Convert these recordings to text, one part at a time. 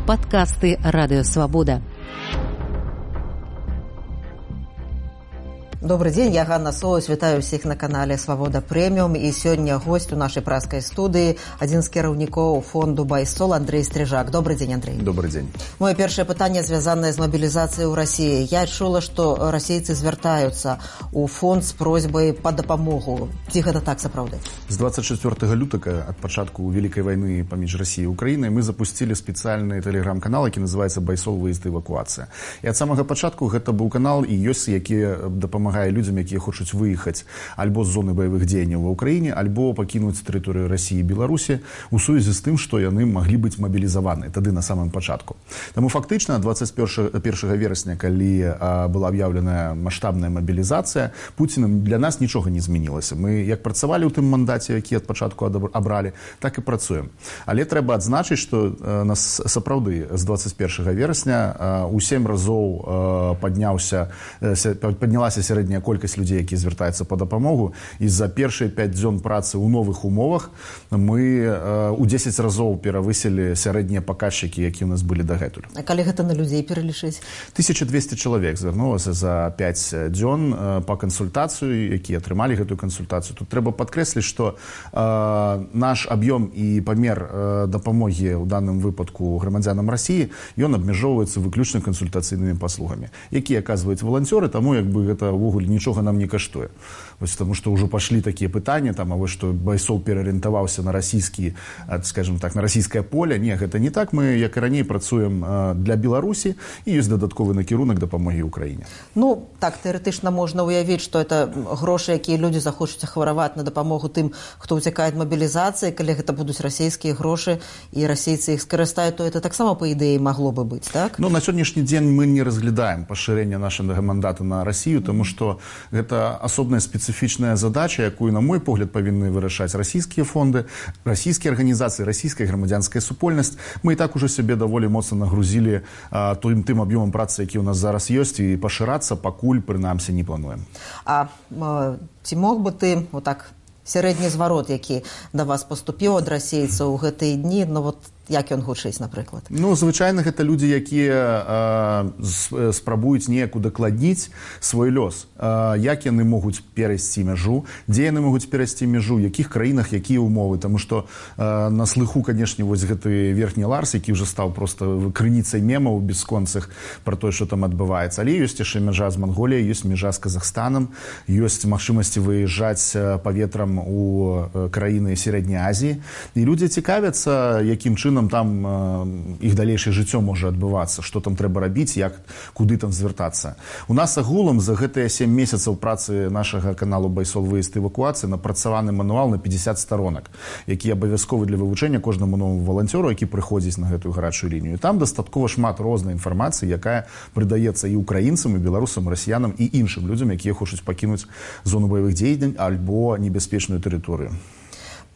Падкасты Радыёвабода. Добрый день, я Ганна Соус, вітаю всех на канале «Свобода Премиум». И сегодня гость у нашей праской студии, один из керівников фонду «Байсол» Андрей Стрижак. Добрый день, Андрей. Добрый день. Мое первое питание связано с мобилизацией в России. Я чула, что российцы звертаются у фонд с просьбой по допомогу. Ці гэта так сапраўды? С 24 лютага, от початку Великой войны поміж Россией и Украиной, мы запустили специальный телеграм-канал, который называется «Байсол. Выезд и эвакуация». И от самого початку это был канал и ёсць, які допомагає людям, які хочуть виїхати альбо з зони бойових дій в Україні, альбо покинути територію Росії і Білорусі у сувязі з тим, що вони могли бути мобілізовані тоді на самому початку. Тому фактично 21 вересня, коли була об'явлена масштабна мобілізація, Путіним для нас нічого не змінилося. Ми як працювали у тим мандаті, який від початку обрали, так і працюємо. Але треба відзначити, що нас справді з 21 вересня у 7 разів піднялася середня колькість людей, які звертаються по допомогу. І за перші 5 дзён праці у нових умовах ми у 10 разів перевисили середні показчики, які у нас були догетуль. А коли гэта на людей перелічить? 1200 чоловік звернулося за 5 дзён по консультацію, які отримали гэту консультацію. Тут треба підкреслити, що наш об'єм і помір допомоги у даному випадку громадянам Росії, він обмежовується виключно консультаційними послугами, які оказують волонтери, тому якби це вогуль нічого нам не коштує. Ось тому що вже пішли такі питання, там, а ви що Байсол переорієнтувався на російські, скажімо так, на російське поле. Ні, це не так. Ми, як і раніше, працюємо для Білорусі і є додатковий накерунок допомоги Україні. Ну, так, теоретично можна уявити, що це гроші, які люди захочуть хворувати на допомогу тим, хто утікає від мобілізації, коли це будуть російські гроші і російці їх скористають, то це так само, по ідеї, могло би бути, так? Ну, на сьогоднішній день ми не розглядаємо поширення нашого мандату на Росію, тому що це особливо специфічна задача, яку, на мой погляд, повинні вирішати російські фонди, російські організації, російська громадянська супольність. Ми і так уже себе доволі моцно нагрузили тим об'ємом праці, який у нас зараз є, і поширатися, покуль, принаймні, не плануємо. А ці мог би ти, отак, середній зворот, який до вас поступив від російців у ці дні, ну, от, як він гучить, наприклад? Ну, звичайно, це люди, які спробують неяк удокладніти свій льос. Як вони можуть перейти межу, де вони можуть перейти межу, в яких країнах, які умови. Тому що на слиху, звісно, ось цей верхній Ларс, який вже став просто криницею мемів безконцих про те, що там відбувається. Але є ще межа з Монголією, є межа з Казахстаном, є можливості виїжджати повітрям у країни Середньої Азії. І люди цікавляться, яким чином там їх дальнейшее життя може відбуватися, що там треба робити, куди там звертатися. У нас агулом за ці 7 місяців праці нашого каналу «Байсол. Виїзд і евакуація» напрацьований мануал на 50 сторонок, який обов'язковий для вивчення кожному новому волонтеру, який приходить на цю гарячу лінію. І там достатково шмат різної інформації, яка придається і українцям, і білорусам, і росіянам, і іншим людям, які хочуть покинути зону бойових дій або небезпечну територію.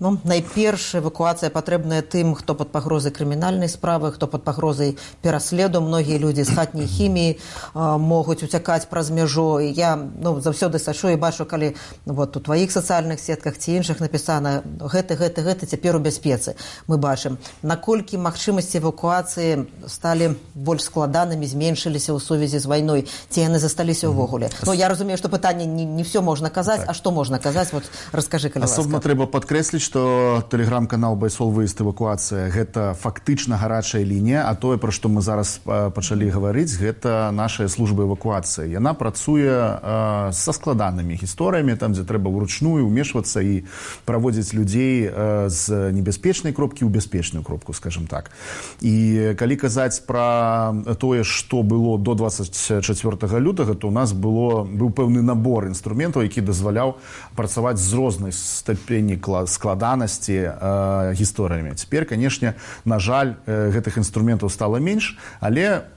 Ну, найперш эвакуацыя патрэбная тым, хто пад пагрозай крымінальнай справы, хто пад пагрозай пераследу. Многія людзі з хатняй хіміі могуць уцякаць праз мяжу. Я заўсёды сачу і бачу, калі вот у тваіх сацыяльных сетках ці іншых напісана гэты цяпер у бяспецы. Мы бачым, наколькі магчымасці эвакуацыі сталі больш складанымі, зменшыліся ў сувязі з вайной, ці яны засталіся ўвогуле. Ну, я разумею, што пытанне не все можна казаць, а што можна казаць? Вот раскажы, калі ласка. Асобна трэба падкрэсліць, што тэлеграм-канал «Байсол. Выезд. Эвакуацыя» – гэта фактычна гарачая лінія, а тое, пра што мы зараз пачалі гаварыць, гэта наша служба эвакуацыі. Яна працуе са складанымі гісторыямі, там, дзе трэба ўручную ўмешвацца і праводзіць людзей з небяспечнай кропкі ў бяспечную кропку, скажем так. І калі казаць пра тое, што было до 24 лютага, то у нас быў пэўны набор інструментаў, які дазваляў працаваць з рознай ступені складанасці гісторыямі. Цяпер, канешне, на жаль, гэтых інструментаў стала менш, але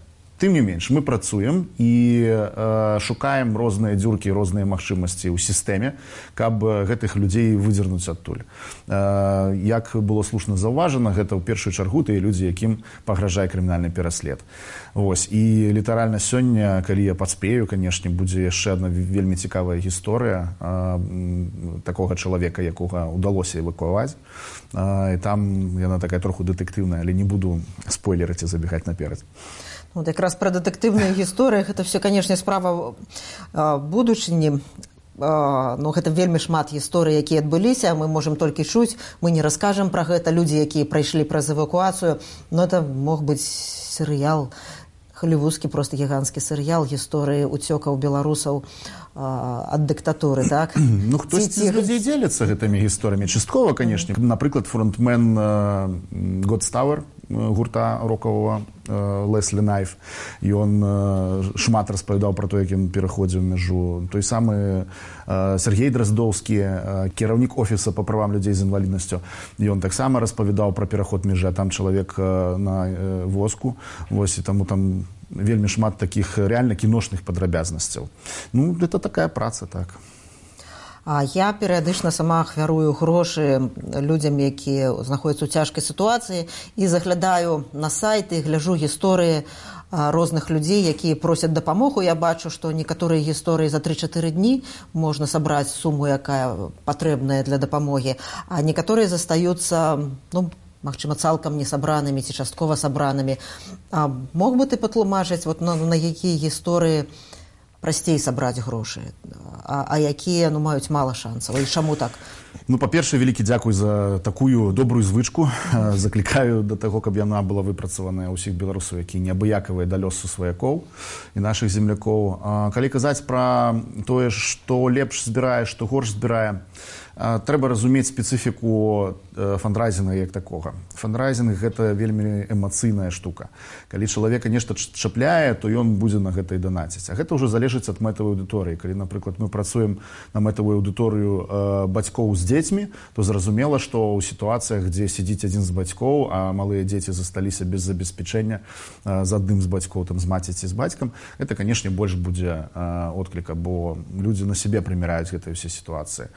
Тым не менш, мы працуем і шукаем розныя дзюркі, розныя магчымасці ў сістэме, каб гэтых людзей выдзернуць адтуль. Як было слушна заўважана, гэта ў першую чаргу тыя людзі, якім пагражае крымінальны пераслед. Вось. І літаральна сёння, калі я паспею, канешне, будзе яшчэ адна вельмі цікавая гісторыя такога чалавека, якога ўдалося эвакуаваць. І там яна такая троху дэтэктыўная, але не буду спойлерыць і забегаць наперад. Вот якраз пра дэтэктыўныя гісторыі, гэта все, канешне, справа будучыні. Ну, гэта вельмі шмат гісторый, якія адбыліся, мы можам толькі чуць, мы не раскажам пра гэта, людзі, якія прайшлі праз эвакуацыю, но это мог быць серыял, халівудскі, просто гіганцкі серыял гісторыі уцёкаў беларусаў ад дыктатуры, так? Ну, хтосьці з людзей дзеляцца гэтымі гісторыямі. Часткова, канешне. Напрыклад, фронтмен Godstower, гурта рокавага Леслі Найф, ён шмат распавядаў пра то, як ён пераходзіў мяжу. Той самы Сергей Драздоўскі, кіраўнік офіса па правам людзей з інваліднасцю, ён таксама распавядаў пра пераход мяжы, а там чалавек на воску, вось, і таму там вельмі шмат такіх реально кіношных падрабязнасцяў. Ну, это такая праца, так. А я перыядычна сама ахвярую грошы людзям, якія знаходзяцца ў цяжкай сітуацыі, і заглядаю на сайты, гляджу гісторыі розных людзей, якія просяць дапамогу. Я бачу, што некаторыя гісторыі за 3-4 дні можна сабраць суму, якая патрэбная для дапамогі, а некаторыя застаюцца, ну, магчыма, цалкам не сабранымі ці часткова сабранымі. А мог бы ты патлумачыць, вот, на якія гісторыі прасцей сабраць грошы, а якія, ну, маюць мала шансаў, і чаму так? Ну, па-першае, вялікі дзякуй за такую добрую звычку. Заклікаю да таго, каб яна была выпрацаваная ўсіх беларусаў, якія неабыякавыя да лёсу сваякоў і нашых землякоў. Калі казаць пра тое, што лепш збірае, што горш збірае, трэба разумець спецыфіку фандрайзінга як такога. Фандрайзінг – гэта вельмі эмацыйная штука. Калі чалавека нешта чапляе, то ён будзе на гэта і данаціць. А гэта ўжо залежыць ад мэтавай аўдыторыі. Калі, напрыклад, мы працуем на мэтавую аўдыторыю бацькоў з дзецьмі, то зразумела, што ў сітуацыях, дзе сядзіць адзін з бацькоў, а малыя дзеці засталіся без забеспячэння з адным з бацькоў, там, з маці ці з бацькам, гэта, канешне, больш будзе откліка, бо людзі на сябе прыміраюць гэтыя ўсе сітуацыі.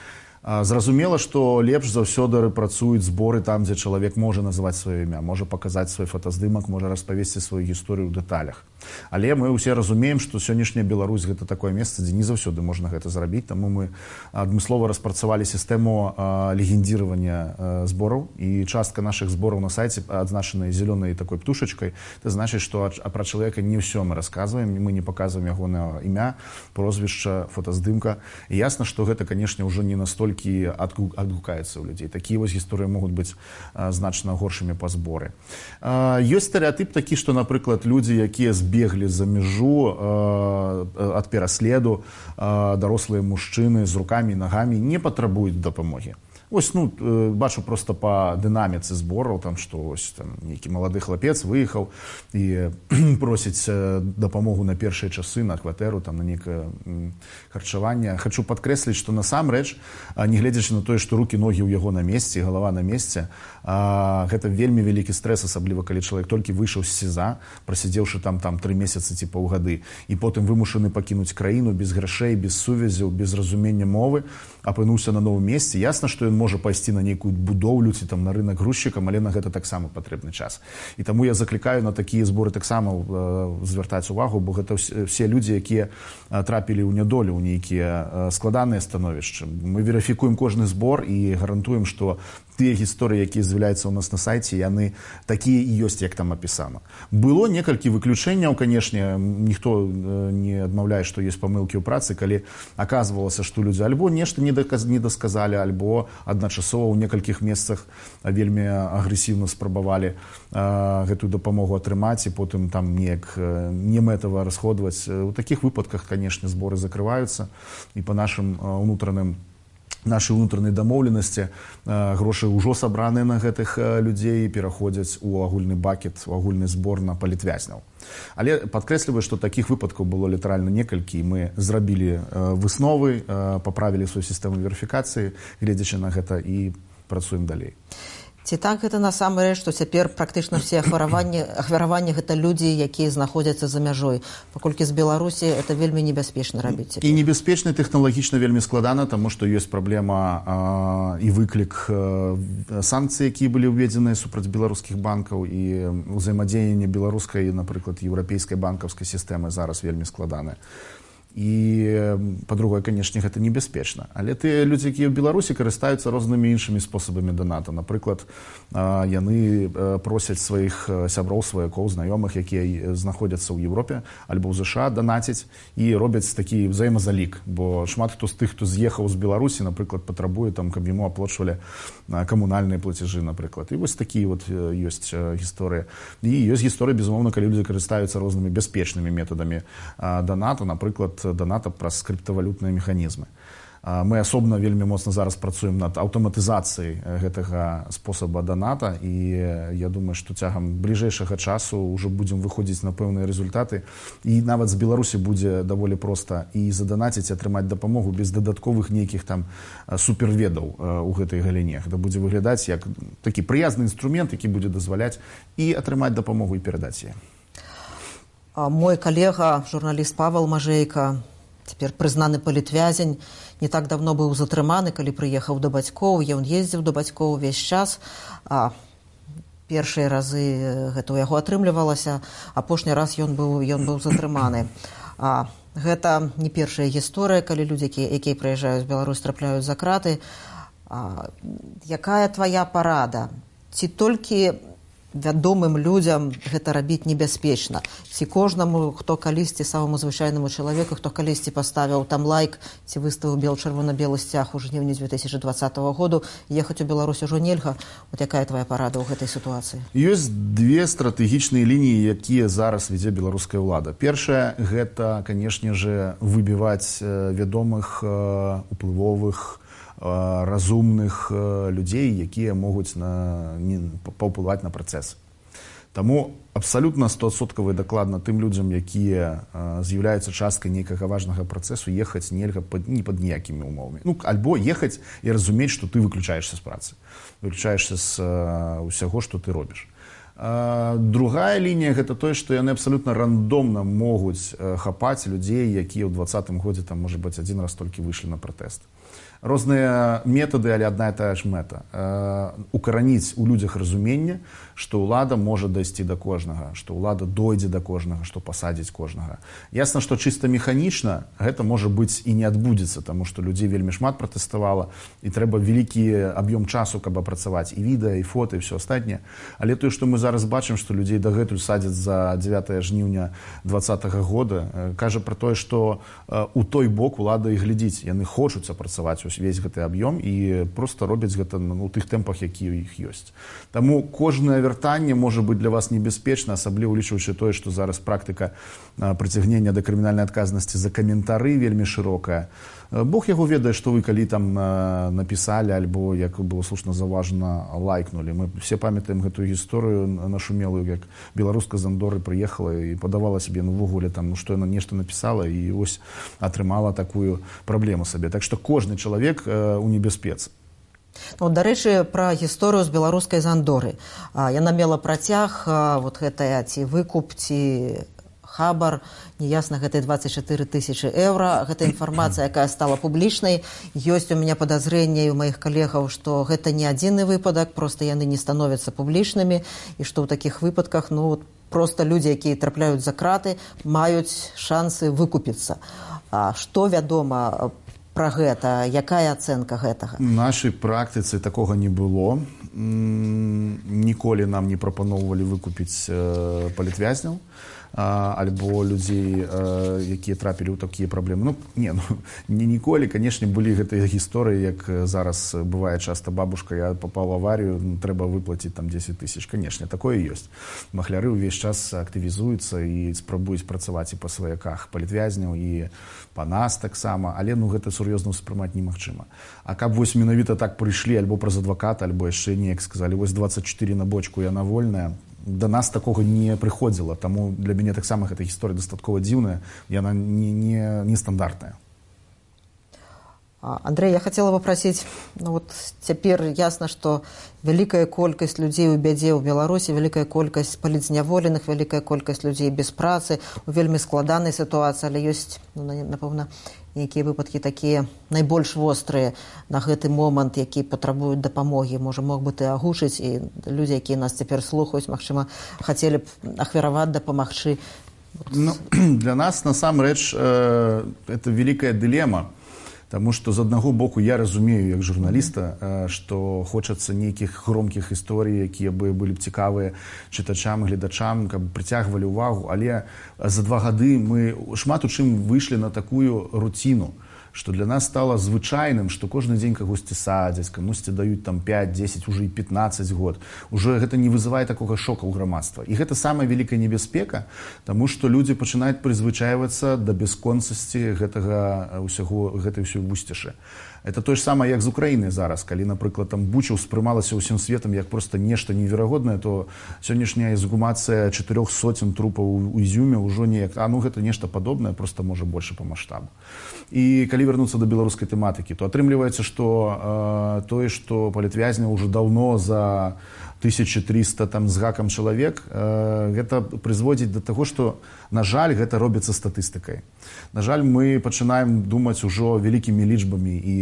Зразумела, што лепш заўсёды працуюць зборы там, дзе чалавек можа назваць сваё імя, можа паказаць свой фотаздымак, можа распавесці сваю гісторыю ў дэталях. Але мы ўсе разумеем, што сённяшняя Беларусь – гэта такое месца, дзе не заўсёды можна гэта зрабіць, таму мы адмыслова распрацавалі сістэму легендіравання збораў, і частка нашых збораў на сайце адзначана зялёнай такой птушачкай. Это значыць, што пра чалавека не ўсё мы расказваем, мы не паказваем ягонае імя, прозвішча, фотаздымка. І ясна, што гэта, канешне, ўжо не настолькі адгукаецца ў людзей. Такія вось гісторыі могуць быць значна горшымі па зборы. Ёсць стэрэатып такі, што, напрыклад, людзі, якія збеглі за мяжу ад пераследу, дарослыя мужчыны з рукамі і нагамі не патрабуюць дапамогі. Вось, ну, бачу просто па дынаміцы збораў, там, што ось, там, нейкі малады хлапец выехаў і просіць дапамогу на першыя часы, на кватэру, там, на нейкае харчаванне. Хачу падкрэсліць, што насамрэч, нягледзячы на тое, што рукі, ногі ў яго на месцы, галава на месцы, гэта вельмі вялікі стрэс, асабліва калі чалавек толькі выйшаў з СІЗА, прасядзеўшы там 3 месяцы ці паўгады, і потым вымушаны пакінуць краіну без грашэй, без сувязяў, без разумення мовы, апынуўся на новым месцы. Ясна, што ён можа пайсці на нейкую будоўлю ці там на рынак грузчыкам, але на гэта таксама патрэбны час. І таму я заклікаю на такія зборы таксама звяртаць увагу, бо гэта все людзі, якія трапілі ў нядолю, ў нейкія складаныя становішчы. Мы верыфікуем кожны збор і гарантуем, што тыя гісторыі, якія з'яўляюцца ў нас на сайце, яны такія і ёсць, як там апісана. Было некалькі выключэнняў, канешне, ніхто не адмаўляе, што ёсць памылкі ў працы, калі аказвалася, што людзі альбо нешта не дасказалі, альбо адначасова ў некалькіх месцах вельмі агрэсіўна спрабавалі гэтую дапамогу атрымаць і потым там неяк немэтава расходваць. У такіх выпадках, канешне, зборы закрываюцца, і па нашай унутранай дамоўленасці грошы ўжо сабраныя на гэтых людзей пераходзяць у агульны бакет, у агульны збор на палітвязняў. Але падкрэсліваю, што такіх выпадкаў было літаральна некалькі, і мы зрабілі высновы, паправілі сваю сістэму верыфікацыі, гледзячы на гэта, і працуем далей. Ці так гэта насамрэч, што цяпер практычна ўсе ахвяраванні гэта людзі, якія знаходзяцца за мяжой. Паколькі з Беларусі это вельмі небяспечна рабіць. І небяспечна тэхналагічна вельмі складана, таму што ёсць праблема і выклік санкцый, якія былі ўведзеныя супраць беларускіх банкаў, і ўзаемадзеянне беларускай, напрыклад, еўрапейскай банкаўскай сістэмы зараз вельмі складанае. І, па-другое, канешне, гэта небяспечна. Але тыя людзі, якія ў Беларусі, карыстаюцца рознымі іншымі спосабамі доната. Напрыклад, яны просяць сваіх сяброў, сваякоў, знаёмых, якія знаходзяцца ў Европе альбо ў ЗША, данаціць і робяць такі ўзаемазалік. Бо шмат хто з тых, хто з'ехаў з Беларусі, напрыклад, патрабуе, там, каб яму аплачвалі камунальныя плацежы, напрыклад. І вось такія вот ёсць гісторыі. І ёсць гісторыі, безумоўна, калі людзі карыстаюцца рознымі бяспечнымі метадамі доната, напрыклад, доната праз скрыптавалютныя механізмы. Мы асобна вельмі моцна зараз працуем над аўтаматызацыяй гэтага спосаба доната, і я думаю, што цягам бліжэйшага часу ўжо будзем выходзіць на пэўныя результаты, і нават з Беларусі будзе даволі проста і заданаціць, атрымаць дапамогу без дадатковых нейкіх там суперведаў у гэтай галіне. Гэта будзе выглядаць як такі прыязны інструмент, які будзе дазваляць і атрымаць дапамогу і перадаць яе. Мой калега, журналіст Павел Мажейка, цяпер прызнаны палітвязень, не так давно быў затрыманы, калі прыехаў да бацькоў. Ён ездзіў да бацькоў увесь час. Першыя разы гэта ў яго атрымлівалася, апошні раз ён быў затрыманы. Гэта не першая гісторыя, калі людзі, якія прыязджаюць з Беларусь, трапляюць за краты. Якая твая парада? Ці толькі вядомым людзям гэта рабіць небяспечна? Ці кожнаму, хто калісьці, самому звычайнаму чалавеку, хто калісьці паставіў там лайк, ці выставіў чырвона-белы сцяг у жніўні 2020 году, ехаць у Беларусь ужо нельга? Вот якая твая парада ў гэтай сітуацыі? Ёсць две стратэгічныя лініі, якія зараз вядзе беларуская ўлада. Першая, гэта, канешне же, выбіваць вядомых, уплывовых, разумных людзей, якія могуць паўплываць на працэс. Таму абсалютна 100% дакладна тым людзям, якія з'яўляюцца часткай нейкага важнага працэсу, ехаць нельга не пад ніякімі умовамі. Альбо ехаць і разумець, што ты выключаешся з працы, выключаешся з усяго, што ты робіш. Другая лінія, гэта тое, што яны абсалютна рандомна могуць хапаць людзей, якія ў 2020 годзе, там, можа быць, адзін раз толькі выйшлі на пратэст. Розныя метады, але адна і тая ж мэта. Укараніць у людзях разуменне, што ўлада можа дайсці да кожнага, што ўлада дойдзе да кожнага, што пасадзіць кожнага. Ясна, што чыста механічна гэта можа быць і не адбудзецца, таму што людзей вельмі шмат пратэставала, і трэба вялікі аб'ём часу, каб апрацаваць і відэа, і фота, і ўсё астатняе. Але тое, што мы зараз бачым, што людзей дагэтуль садзяць за 9 жніўня 2020 года, кажа пра тое, што у той бок улада і глядзіць. Яны хочуць апрацаваць увесь гэты аб'ём і проста робяць гэта ў тых тэмпах, якія ў іх ёсць. Таму кожнае вяртанне можа быць для вас небяспечна, асабліва улічваючы тое, што зараз практыка прыцягнення да крымінальнай адказнасці за каментары вельмі шырокая. Бог яго ведае, што вы калі там напісалі, альбо, як было слушна заўважана, лайкнулі. Мы все памятаем гэтую гісторыю нашумелую, як беларуска з Андоры прыехала і падавала сабе увогуле, што яна нешта напісала, і ось атрымала такую праблему сабе. Так што кожны чалавек у небяспецы. Дарэчы, пра гісторыю з беларускай з Андоры. Яна мела працяг, вот гэтая ці выкуп, ці хабар, неясна, гэта 24 000 евро. Гэта інфармацыя, якая стала публічнай. Ёсць у мяне падазрэнне у маіх калегаў, што гэта не адзіны выпадак, проста яны не становяцца публічнымі, і што ў такіх выпадках, проста людзі, якія трапляюць за краты, маюць шансы выкупіцца. Што вядома пра гэта? Якая ацэнка гэтага? У нашай практыцы такога не было. Ніколі нам не прапаноўвалі выкупіць палітвязняў альбо людзей, якія трапілі ў такія праблемы. Не ніколі, канешне, былі гэтыя гісторыі, як зараз бывае часта: бабушка, я папаў у аварію, трэба выплаціць там 10 000. Канешне, такое ёсць. Махляры ўвесь час актывізуюцца і спрабуюць працаваць і па сваяках палітвязняў, і па нас таксама, але гэта сур'ёзна ўспрымаць немагчыма. А каб вось менавіта так прыйшлі альбо праз адваката, альбо яшчэ неяк сказалі: вось 24 на бочку, яна вольная, да нас такога не прыходзіла, таму для мяне таксама гэта гісторыя дастаткова дзіўная, яна не стандартная. Андрей, я хотела попросить, ну вот теперь ясно, что великая колькасць людзей у бядзе ў Беларусі, великая колькасць палітзняволеных, великая колькасць людзей без працы, у вельмі складанай сітуацыі, але ёсць, ну, напэўна, нейкія выпадкі такія найбольш вострыя на гэты момант, які патрабуюць дапамогі. Можа, мог бы ты агучыць, і людзі, якія нас цяпер слухаюць, магчыма, хацелі б ахвяраваць, дапамагчы. Ну, для нас, насамрэч, это великая дилемма. Таму што з аднаго боку я разумею як журналіста, што хочацца нейкіх громкіх гісторый, якія бы былі б цікавыя чытачам, гледачам, каб прыцягвалі ўвагу, але за 2 гады мы шмат у чым выйшлі на такую руціну, што для нас стала звычайным, што кожны дзень кагосьці садзяць, камусьці даюць там 5, 10, уже і 15 год. Уже гэта не вызывае такога шока ў грамадства. І гэта самая вялікая небяспека, таму што людзі пачынаюць прызвычайвацца да бясконцасці гэтай ўсёй вусцішы. Это то ж самае, як з Украінай зараз. Калі, напрыклад, там Буча ўспрымалася ўсім светам як проста нешта неверагоднае, то сённяшняя эксгумацыя 400 трупаў у Ізюме ўжо неяк, гэта нешта падобнае, проста можа больше па маштабу. І калі вярнуцца да беларускай тэматыкі, то атрымліваецца, што тое, што палітвязняў ўжо даўно за 1300 там з гакам чалавек, гэта прызводзіць да таго, што, на жаль, гэта робіцца статыстыкай. На жаль, мы пачынаем думаць ужо вялікімі лічбамі і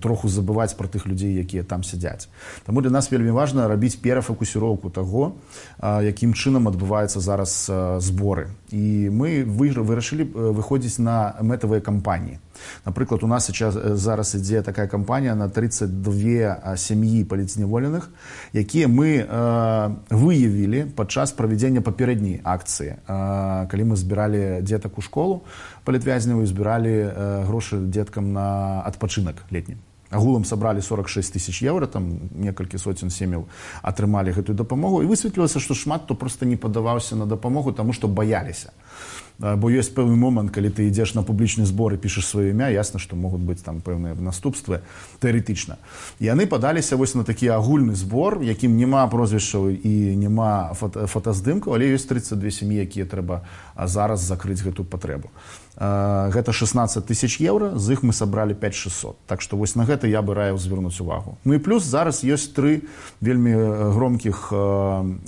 троху забываць пра тых людзей, якія там сядзяць. Таму для нас вельмі важна рабіць перафокусіроўку таго, якім чынам адбываюцца зараз зборы. І мы вырашылі выходзіць на мэтавыя кампаніі. Напрыклад, у нас зараз ідзе такая кампанія на 32 сям'і палітзняволеных, якія мы выявілі падчас правядзення папярэдняй акцыі. Калі мы збіралі дзетак у школу палітвязняў і збіралі грошы дзеткам на адпачынак летні. Агулам сабралі 46 000 евро, там некалькі сотен сем'яў атрымалі гэтую дапамогу, і высветлілася, што шмат хто проста не падаваўся на дапамогу, таму што баяліся. Бо ёсць пэўны момант, калі ты ідзеш на публічны збор і пішаш сваё імя, ясна, што могуць быць там пэўныя наступствы тэарэтычна. Яны падаліся вось на такі агульны збор, якім няма прозвішчаў і няма фотаздымкаў, але ёсць 32 сям'і, якія трэба зараз закрыць гэтую патрэбу. Гэта 16 000 евро, з іх мы сабралі 5600. Так што вось на гэта я бы раіў звярнуць увагу. Ну і плюс зараз ёсць 3 вельмі громкіх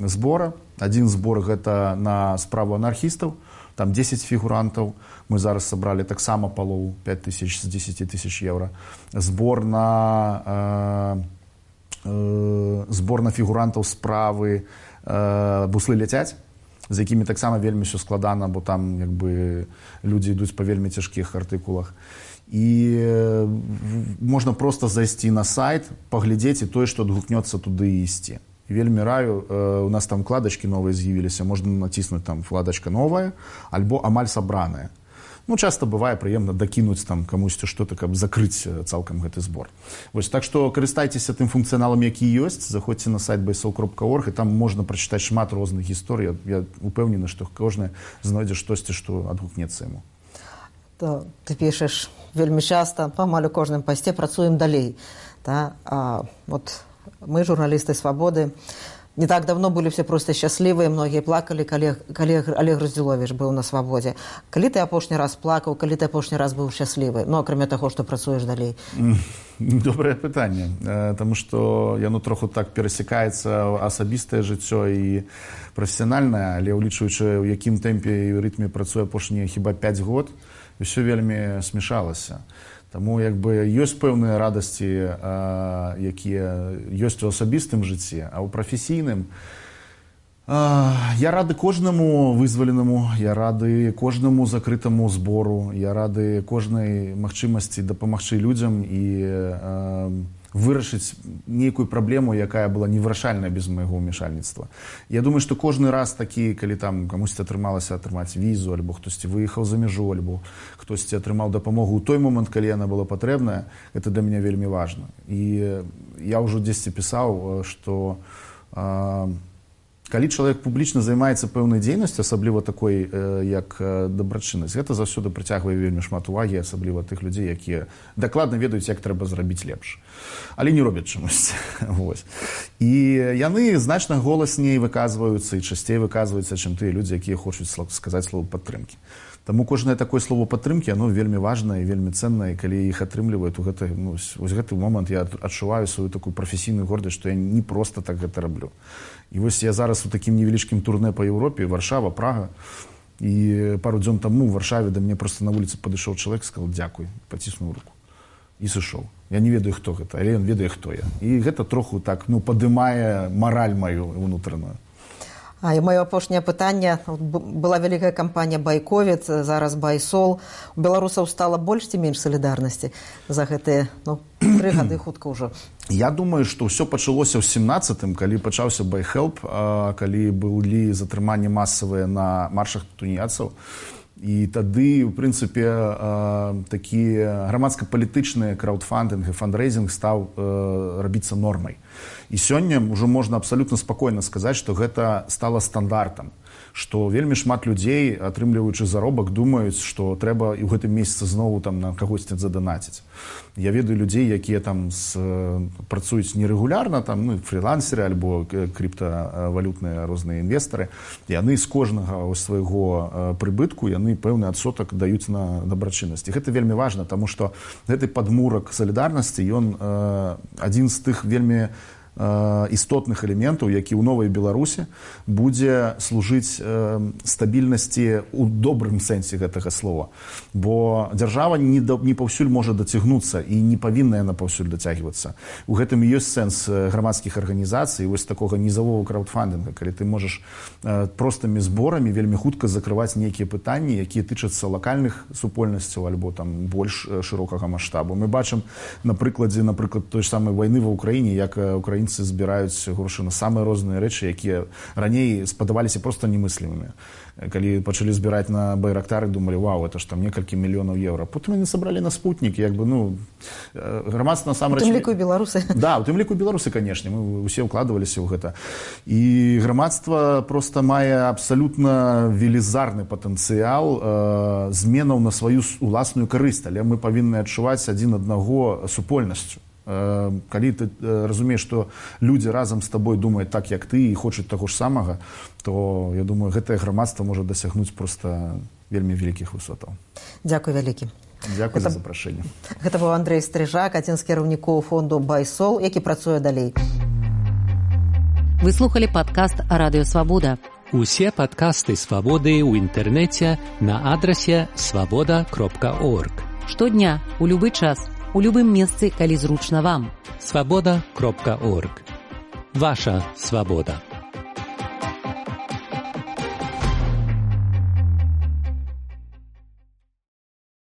збора. Адзін збор гэта на справу анархістаў, там 10 фігурантаў. Мы зараз сабралі таксама палову, 5000 з 10 000 евро. Збор на фігурантаў справы «Буслы ляцяць», з якімі таксама вельмі ўсё складана, бо там людзі ідуць па вельмі цяжкіх артыкулах. І можна проста зайсці на сайт, паглядзець і тое, што адгукнецца туды і ісці. Вельмі раю, у нас там вкладачкі новыя з'явіліся, можна націснуць там вкладачка новая, альбо амаль сабраная. Ну, часта бывае прыемна дакінуць там камусьці што-то, каб закрыць цалкам гэты збор. Вось, так што карыстайцеся тым функцыяналам, які ёсць, заходзьце на сайт bsl.org, і там можна прачытаць шмат розных гісторый. Я упэўнены, што кожны знойдзе штосьці, што адгукнецца яму. Ты пішаш вельмі часта, памаль у кожным пасце працуем далей. Вот мы, журналісты «Свабоды», не так давно были все просто счастливые, многие плакали, калі Олег Раздзіловіч быў на свабодзе. Калі ты апошні раз плакаў, калі ты апошні раз быў шчаслівы? Ну, акрамя таго, што працуеш далей. Добрае пытанне, таму што яно троху так перасякаецца асабістае жыццё і прафесіянальнае, але ўлічваючы, у якім тэмпе і рытме працуе апошнія хіба 5 год, усё вельмі смешалася. Таму ёсць пэўныя радасці, якія ёсць у асабістым жыцці, а ў прафесійным я рады кожнаму вызваленаму, я рады кожнаму закрытаму збору, я рады кожнай магчымасці дапамагчы людзям і вырашыць нейкую праблему, якая была невырашальная без майго ўмешальніцтва. Я думаю, што кожны раз такі, калі там камусьці атрымалася атрымаць візу, альбо хтосьці выехаў за мяжу, альбо хтосьці атрымаў дапамогу ў той момант, калі яна была патрэбная, гэта для мяне вельмі важна. І я ўжо дзесьці пісаў, што калі чалавек публічна займаецца пэўнай дзейнасцю, асабліва такой, як дабрачыннасць, гэта заўсёды прыцягвае вельмі шмат увагі, асабліва тых людзей, якія дакладна ведаюць, як трэба зрабіць лепш. Але не робяць чамусьці. І яны значна голасней выказваюцца і часцей выказваюцца, чым тыя людзі, якія хочуць сказаць слова падтрымкі. Таму кожнае такое слово падтрымкі, оно вельмі важнае і вельмі ценнае, калі іх атрымліваюць у гэты, вось гэты момант я адчуваю сваю такую прафесійную гордасць, што я не проста так гэта раблю. І вось я зараз у такім невялічкім турне па Еўропе, Варшава, Прага, і пару дзён таму ў Варшаве да мяне проста на вуліцы падышоў чалавек, сказаў дзякуй, паціснуў руку і сышоў. Я не ведаю, хто гэта, але ён ведае, хто я. І гэта троху так, падымае мараль маю унутраную. І маё апошняе пытанне. Была вялікая кампанія «Байковід», зараз «Байсол». У беларусаў стала больш ці менш салідарнасці за гэтыя 3 гады хутка ўжо? Я думаю, што ўсё пачалося ў 17-м, калі пачаўся «Байхелп», калі былі затрыманні масавыя на маршах туніяцаў. І тады, у прынцыпе, такі грамадска-палітычны краўдфандынг і фандрейзінг стаў рабіцца нормай. І сёння ўжо можна абсалютна спакойна сказаць, што гэта стала стандартам, што вельмі шмат людзей, атрымліваючы заробак, думаюць, што трэба і ў гэтым месяцы зноў на кагосьці заданаціць. Я ведаю людзей, якія там працуюць нерэгулярна, фрілансеры альбо крыптавалютныя розныя інвестары. Яны з кожнага свайго прыбытку, яны пэўны адсотак даюць на дабрачыннасць. І гэта вельмі важна, таму што гэты падмурак салідарнасці, ён адзін з тых вельмі істотных элементаў, які ў новай Беларусі будзе служыць стабільнасці ў добрым сэнсе гэтага слова. Бо дзяржава не паўсюль можа дацягнуцца і не павінна яна паўсюль дацягвацца. У гэтым і ёсць сэнс грамадскіх арганізацый, вось такога нізавога краўдфандынга, калі ты можаш простымі зборамі вельмі хутка закрываць нейкія пытанні, якія тычацца лакальных супольнасцяў альбо там больш шырокага маштабу. Мы бачым на прыкладзе, той ж самай вайны ва ўкраіне, як украінцы збіраюць грошы на самыя розныя рэчы, якія раней спадаваліся проста немыслімымі. Калі пачалі збіраць на байрактары, думалі, вау, это ж там некалькі мільёнаў еўра. Потым яны сабралі на спутнік, грамадства насамрэч... У тым ліку і беларусы. Да, у тым ліку і беларусы, канешне, мы ўсе ўкладваліся ў гэта. І грамадства проста мае абсалютна велізарны патэнцыял зменаў на сваю уласную карысць, але мы павінны адчуваць адзін аднаго супольнасцю. Калі ты разумееш, што людзі разам з табой думаюць так, як ты, і хочуць таго ж самага, то, я думаю, гэтае грамадства можа дасягнуць проста вельмі вялікіх высотаў. Дзякуй вялікі. Дзякуй за запрашэнне. Гэта быў Андрэй Стрыжак, адзін з кіраўнікоў фонду «Байсол», які працуе далей. Вы слухали падкаст «Радыё Свабода». Усе падкасты «Свабоды» ў інтэрнэце на адрасе свабода.орг. Штодня, у любы час, у любым месцы, калі зручна вам. Свабода.орг. Ваша свабода.